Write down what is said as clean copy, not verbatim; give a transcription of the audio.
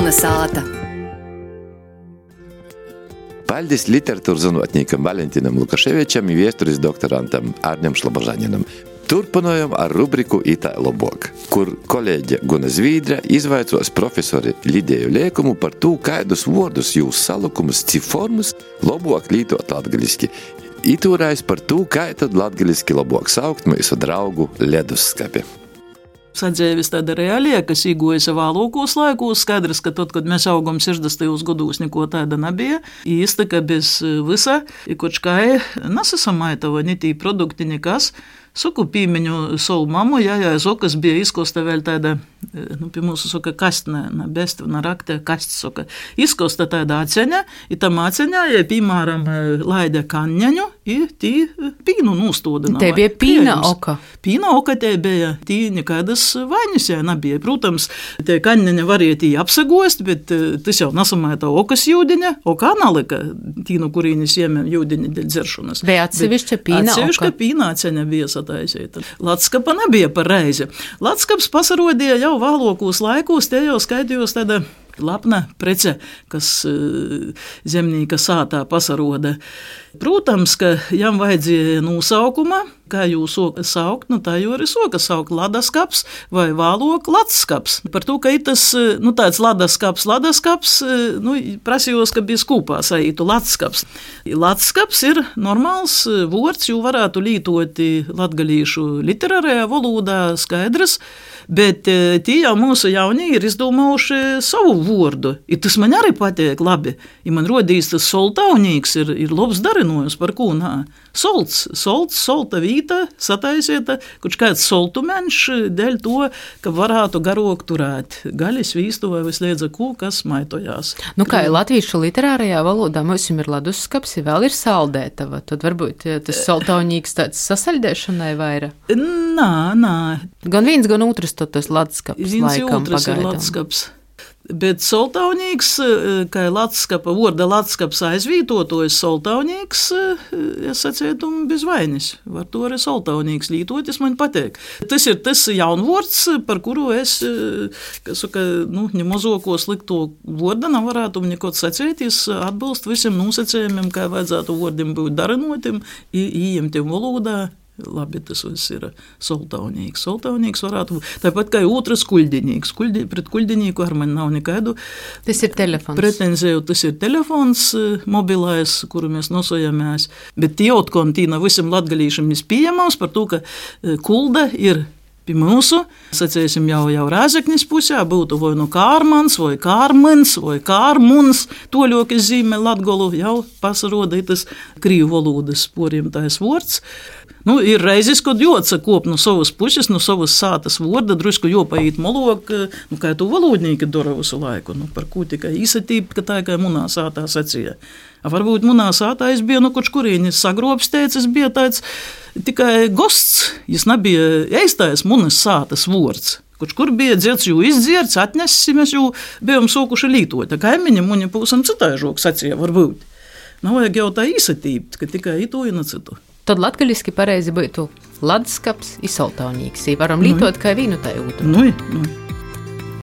Melna sāta. Paldies literatūras zinātniekam Valentinam Lukaševičam un vēstures doktorantam Arņam Šlabažaninam. Turpinājam ar rubriku Itā lobok, kur kolēģe Guna Zvīdra izvaicos profesori Lidiju Liekumu par to, kādus vārdus jūs salukumus, ciformus lobok lītot latgaliski. Itūrais par to, kā tad latgaliski lobok saukt mūsu draugu ledusskapi. Sadzēvis tāda realija, kas īgojas vēlākos laikos, skaidrs, ka tad, kad mēs augam 60. gados, neko tāda nebija. Īsti, ka bez visa, koč kai nesasamaitava ni tī produkti nekas. Soku pīmeņu savu mamu, jā, sokas bija izkosta vēl tāda, pie mūsu soka kastne, na bestvina rakte, kasts soka. Izkosta tāda aceņa, i tam aceņā, ja pīmāram laida kanņaņu, i tī pīnu nūstodina. Te bija pīna oka. Pīna oka te bija, tī nekādas vainis jā nebija. Protams, te kanņaņa varēja tī apsagost, bet tas jau nasamaita okas jūdiņa, oka analika, tī no kurīnis iemēm jūdiņa dēļ dzeršanas. Bija atsevišķa pīna oka. Atsevišķa pīna aceņa bija sataisīta. Latskapa nebija par reizi. Latskaps pasarodīja jau vēlākos laikos, te jau skaidījos tāda lapna prece, kas zemnīka sātā pasaroda. Protams, ka jam vajadzēja nosaukuma, kā jūs saukt, tā jau arī soka saukt ladaskaps vai vēlāk latskaps. Par to, ka tas, tāds ladaskaps, prasījos, ka bija skūpā saītu latskaps. Latskaps ir normāls vords, jo varētu lītot latgalīšu literārajā valodā skaidrs, bet tie jau mūsu jaunie ir izdomājuši savu vordu. I tas man arī patīk labi. I man rodīs tas soltaunīgs ir labs darinojums, par ko nā. Solta vīta sataisieta, kurš kāds soltumenš dēļ to, ka varētu garok turēt. Gaļas vīstu vai visliedza kū, kas maitojās. Kā latviešu literārajā valodā mums ir ledusskaps, vēl ir saldētava, tad varbūt tas soltaunīgs tāds sasaļdēšanai vaira? Nā. Gan viens, gan otrs tas ledusskaps laikam pagaidām. Ir ledusskaps. Bet soltaunīgs, kā latskapa, vorda latskaps aizvītotojas soltaunīgs, es sacētu, bez vainis. Var to arī soltaunīgs lītoties, man patīk. Tas ir tas jaunvords, par kuru es, nemazoko slikto vorda nevarētu nekot sacēties, atbilst visiem nosacējumiem, kā vajadzētu vordim būt darinotim, ieņemtiem valodā. Labi, tas viss ir soltaunīgs. Soltaunīgs varētu būt. Tāpat kā otrs kuļdiņīgs. Pret kuļdiņīgu ar mani nav nekādu. Tas ir telefons. Pretenzēju, tas ir telefons mobilais, kuru mēs nosojamās. Bet tieotkon tīna visam latgalīšam ir pieejamās par to, ka kulda ir pie mūsu, sacēsim jau Rāzeknis pusē, būtu vai Kārmans, vai Kārmens, vai Kārmuns, toļokas zīme latgolu, jau pasaroda tas krīvu valodas poriem tais vords. Ir reizes, kad jāatsakop no savas puses, no savas sātas vorda, drusku jāpaīt molok, kā tu valodnīki dara visu laiku, par ko tikai īsatība, ka tā kā munā sātā sacīja. Varbūt munā sātā es biju, koč kurīni sagrobstēts, es biju tāds tikai gosts, es nebija eistais munas sātas vords. Koč kur bija dzirds, jo izdzirds, atnesis, mēs jau bijām sokuši lītot. Tā kaimiņi muņa pūsam citaižok sacīja, varbūt. Nav vajag jau tā īsatība, ka tikai ito un citu. Tad latgaliski pareizi būtu ledusskaps i soltaunīgs. Varam lītot kā vīnu tai otru.